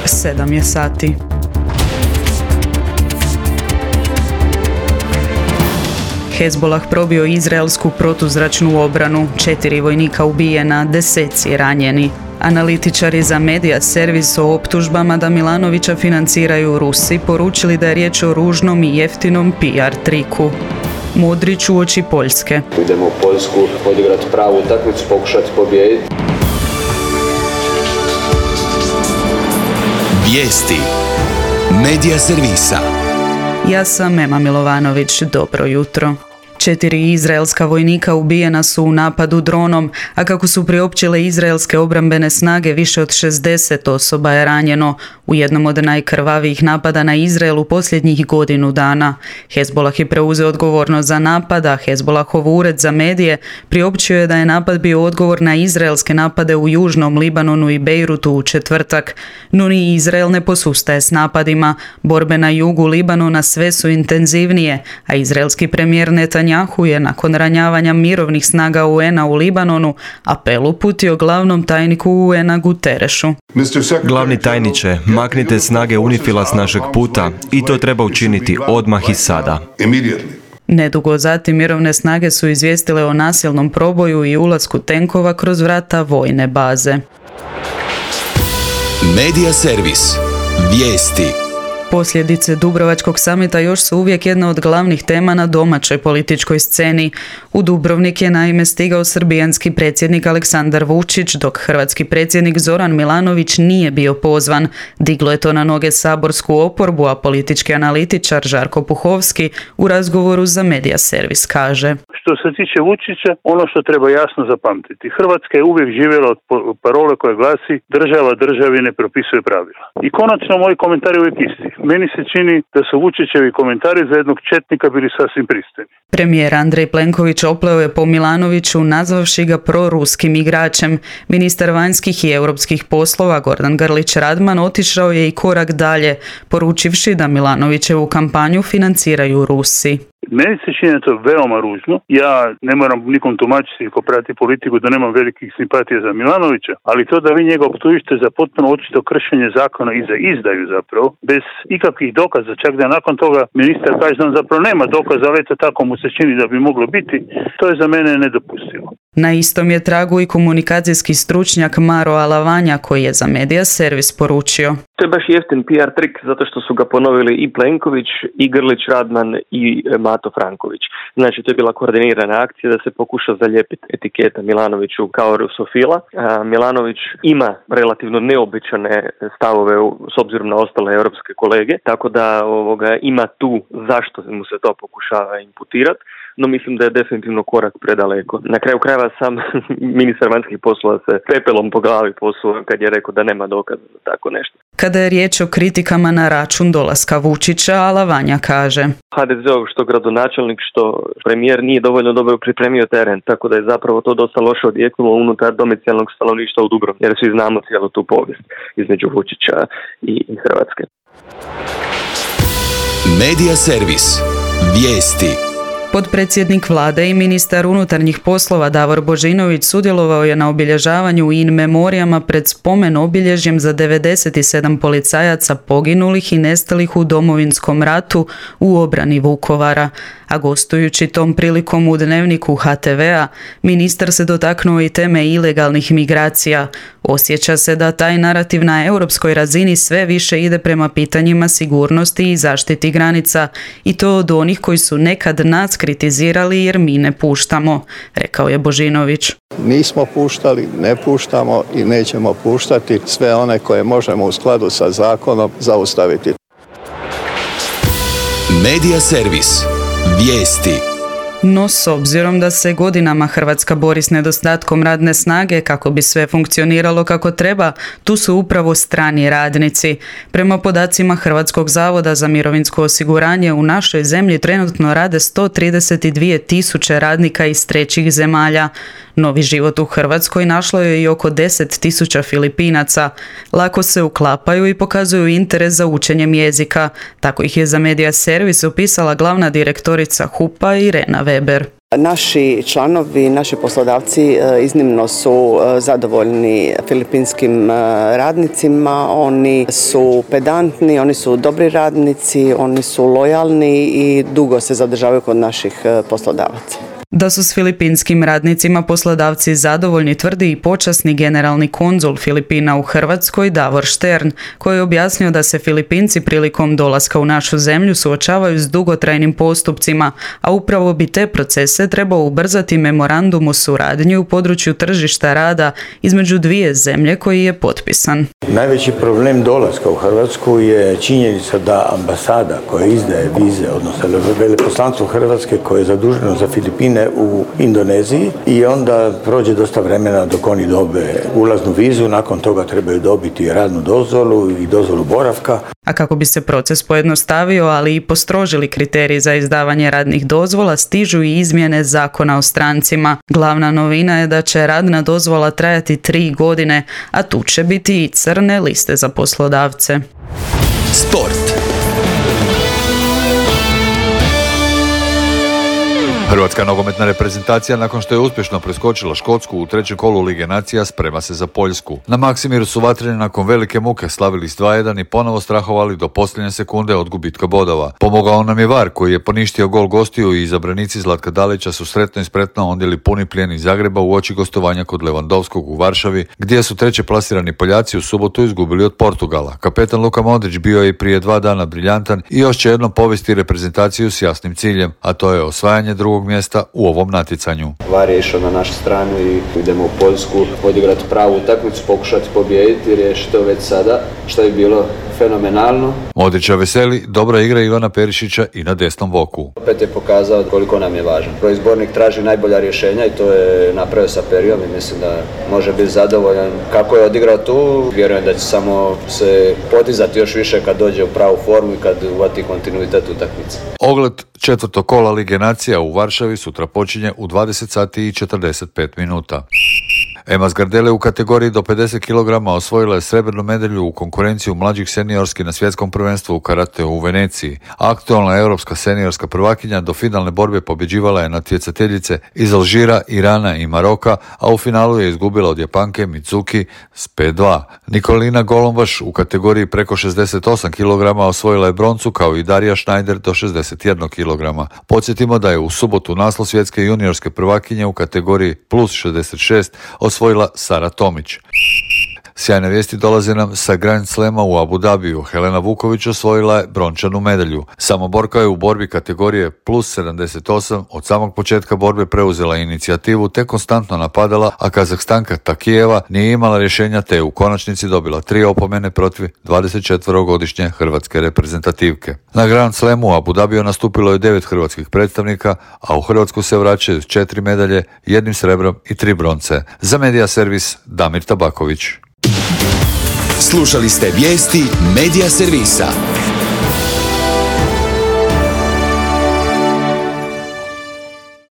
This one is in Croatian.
7 je sati. Hezbolah probio izraelsku protuzračnu obranu, 4 vojnika ubijena, deseci ranjeni. Analitičari za Media Servis o optužbama da Milanovića financiraju Rusi poručili da je riječ o ružnom i jeftinom PR triku. Modrić uoči Poljske. Idemo u Poljsku odigrati pravu utakmicu, pokušati pobijediti. Vijesti Media Servisa. Ja sam Ema Milovanović, dobro jutro. 4 izraelska vojnika ubijena su u napadu dronom, a kako su priopćile izraelske obrambene snage, više od 60 osoba je ranjeno u jednom od najkrvavijih napada na Izrael u posljednjih godinu dana. Hezbolah je preuzeo odgovornost za napad, a Hezbolahov ured za medije priopćio je da je napad bio odgovor na izraelske napade u južnom Libanonu i Bejrutu u četvrtak. No ni Izrael ne posustaje s napadima. Borbe na jugu Libanona sve su intenzivnije, a izraelski premijer Netanjahu je nakon ranjavanja mirovnih snaga UN-a u Libanonu apel uputio glavnom tajniku UN-a Guterešu. Glavni tajniče, maknite snage UNIFIL-a s našeg puta i to treba učiniti odmah i sada. Nedugo zatim mirovne snage su izvijestile o nasilnom proboju i ulasku tenkova kroz vrata vojne baze. Media Servis. Vijesti. Posljedice Dubrovačkog samita još su uvijek jedna od glavnih tema na domaćoj političkoj sceni. U Dubrovnik je naime stigao srbijanski predsjednik Aleksandar Vučić, dok hrvatski predsjednik Zoran Milanović nije bio pozvan. Diglo je to na noge saborsku oporbu, a politički analitičar Žarko Puhovski u razgovoru za Media Servis kaže: Što se tiče Vučića, ono što treba jasno zapamtiti, Hrvatska je uvijek živjela od parole koja glasi država državi ne propisuje pravila. I konačno moji komentari uvijek isti. Meni se čini da su Vučićevi komentari za jednog četnika bili sasvim pristojni. Premijer Andrej Plenković opleo je po Milanoviću nazvavši ga proruskim igračem. Ministar vanjskih i europskih poslova Gordan Grlić Radman otišao je i korak dalje, poručivši da Milanovićevu kampanju financiraju Rusi. Meni se čini to veoma ružno. Ja ne moram nikom tumačiti ko prati politiku da nemam velikih simpatija za Milanovića, ali to da vi njega optužite za potpuno očito kršenje zakona i za izdaju zapravo, bez ikakvih dokaza, čak da nakon toga ministar kaže da on zapravo nema dokaza, ali eto tako mu se čini da bi moglo biti, to je za mene nedopustivo. Na istom je tragu i komunikacijski stručnjak Maro Alavanja koji je za Media Servis poručio: To je baš jeftin PR trik zato što su ga ponovili i Plenković, i Grlić Radman, i Mato Franković. Znači, to je bila koordinirana akcija da se pokuša zalijepiti etiketa Milanoviću kao rusofila. Milanović ima relativno neobičane stavove s obzirom na ostale europske kolege, tako da ima tu zašto mu se to pokušava imputirati. No mislim da je definitivno korak predaleko. Na kraju krajeva sam ministar vanjskih poslova se pepelom po glavi posuo kad je rekao da nema dokaza za tako nešto. Kada je riječ o kritikama na račun dolaska Vučića, Alavanja kaže: HDZ-ov što gradonačelnik, što premijer nije dovoljno dobro pripremio teren, tako da je zapravo to dosta loše odjeknulo unutar domicijalnog stanovništva u Dubrovniku, jer svi znamo cijelu tu povijest između Vučića i Hrvatske. Media Servis. Vijesti. Potpredsjednik vlade i ministar unutarnjih poslova Davor Božinović sudjelovao je na obilježavanju in memorijama pred spomen obilježjem za 97 policajaca poginulih i nestalih u Domovinskom ratu u obrani Vukovara. A gostujući tom prilikom u Dnevniku HTV-a, ministar se dotaknuo i teme ilegalnih migracija. Osjeća se da taj narativ na europskoj razini sve više ide prema pitanjima sigurnosti i zaštiti granica, i to od onih koji su nekad nas kritizirali jer mi ne puštamo, rekao je Božinović. Nismo puštali, ne puštamo i nećemo puštati sve one koje možemo u skladu sa zakonom zaustaviti. Media Servis. Vijesti. No, s obzirom da se godinama Hrvatska bori s nedostatkom radne snage kako bi sve funkcioniralo kako treba, tu su upravo strani radnici. Prema podacima Hrvatskog zavoda za mirovinsko osiguranje, u našoj zemlji trenutno rade 132.000 radnika iz trećih zemalja. Novi život u Hrvatskoj našlo je i oko 10.000 Filipinaca. Lako se uklapaju i pokazuju interes za učenjem jezika. Tako ih je za Media Servis opisala glavna direktorica HUP-a Irena Weber. Naši članovi, naši poslodavci iznimno su zadovoljni filipinskim radnicima, oni su pedantni, oni su dobri radnici, oni su lojalni i dugo se zadržavaju kod naših poslodavaca. Da su s filipinskim radnicima poslodavci zadovoljni tvrdi i počasni generalni konzul Filipina u Hrvatskoj Davor Štern, koji je objasnio da se Filipinci prilikom dolaska u našu zemlju suočavaju s dugotrajnim postupcima, a upravo bi te procese trebao ubrzati memorandum o suradnji u području tržišta rada između dvije zemlje koji je potpisan. Najveći problem dolaska u Hrvatsku je činjenica da ambasada koja izdaje vize, odnosno veleposlanstvo Hrvatske koje je zaduženo za Filipine u Indoneziji i onda prođe dosta vremena dok oni dobe ulaznu vizu, nakon toga trebaju dobiti radnu dozvolu i dozvolu boravka. A kako bi se proces pojednostavio, ali i postrožili kriteriji za izdavanje radnih dozvola, stižu i izmjene Zakona o strancima. Glavna novina je da će radna dozvola trajati 3 godine, a tu će biti i crne liste za poslodavce. Sport. Hrvatska nogometna reprezentacija nakon što je uspješno preskočila Škotsku u trećem kolu Lige nacija sprema se za Poljsku. Na Maksimiru su vatreni nakon velike muke slavili s 2:1 i ponovo strahovali do posljednje sekunde od gubitka bodova. Pomogao nam je VAR koji je poništio gol gostiju i izabranici Zlatka Dalića su sretno i spretno ondjeli puni plijen iz Zagreba u oči gostovanja kod Lewandowskog u Varšavi, gdje su treće plasirani Poljaci u subotu izgubili od Portugala. Kapetan Luka Modrić bio je i prije 2 dana briljantan i još će jednom povesti reprezentaciju s jasnim ciljem, a to je osvajanje drugog mjesta u ovom natjecanju. VAR je išao na našu stranu i idemo u Poljsku odigrati pravu utakmicu, pokušati pobijediti i riješiti to već sada, što je bilo fenomenalno. Modrića veseli dobra igra Ivana Perišića i na desnom boku. Opet je pokazao koliko nam je važan. Izbornik traži najbolja rješenja i to je napravio sa Perijom i mislim da može biti zadovoljan kako je odigrao tu. Vjerujem da će samo se podizati još više kad dođe u pravu formu i kad uvati kontinuitet utakmice. Ogled četvrtog kola Lige nacija u Varšavi sutra počinje u 20 sati i 45 minuta. Ema Zgardele u kategoriji do 50 kg osvojila je srebrnu medalju u konkurenciju mlađih seniorski na svjetskom prvenstvu u karateu u Veneciji. Aktualna europska seniorska prvakinja do finalne borbe pobjeđivala je natjecateljice iz Alžira, Irana i Maroka, a u finalu je izgubila od Japanke Mitsuki s 5:2. Nikolina Golombaš u kategoriji preko 68 kg osvojila je broncu kao i Darija Schneider do 61 kg. Podsjetimo da je u subotu naslov svjetske juniorske prvakinje u kategoriji plus 66 osvojila Sara Tomić. Sjajne vijesti dolaze nam sa Grand Slema u Abu Dhabiju. Helena Vuković osvojila je brončanu medalju. Samoborka je u borbi kategorije plus 78 od samog početka borbe preuzela inicijativu te konstantno napadala, a Kazahstanka Takijeva nije imala rješenja te je u konačnici dobila 3 opomene protiv 24-godišnje hrvatske reprezentativke. Na Grand Slemu u Abu Dhabiju nastupilo je 9 hrvatskih predstavnika, a u Hrvatsku se vraćaju 4 medalje, 1 srebrom i 3 bronce. Za Medija servis Damir Tabaković. Slušali ste vijesti Medija servisa.